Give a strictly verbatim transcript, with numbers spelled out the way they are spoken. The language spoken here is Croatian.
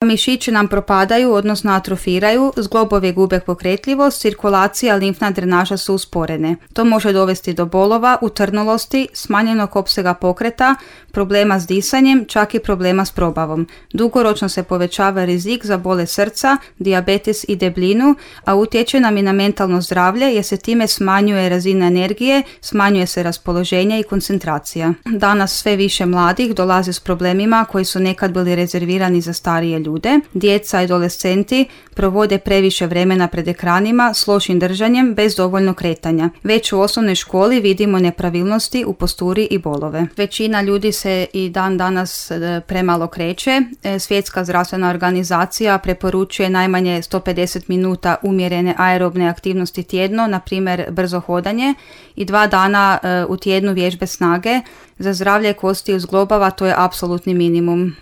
Mišići nam propadaju, odnosno atrofiraju, zglobovi gube pokretljivost, cirkulacija, limfna drenaža su usporene. To može dovesti do bolova, utrnulosti, smanjenog opsega pokreta, problema s disanjem, čak i problema s probavom. Dugoročno se povećava rizik za bolest srca, dijabetes i debljinu, a utječe nam i na mentalno zdravlje jer se time smanjuje razina energije, smanjuje se raspoloženje i koncentracija. Danas sve više mladih dolazi s problemima koji su nekad bili rezervirani za starije ljude. Ljude, djeca i adolescenti provode previše vremena pred ekranima s lošim držanjem bez dovoljno kretanja. Već u osnovnoj školi vidimo nepravilnosti u posturi i bolove. Većina ljudi se i dan danas premalo kreće. Svjetska zdravstvena organizacija preporučuje najmanje sto pedeset minuta umjerene aerobne aktivnosti tjedno, na primjer brzo hodanje, i dva dana u tjednu vježbe snage. Za zdravlje kosti i zglobova to je apsolutni minimum.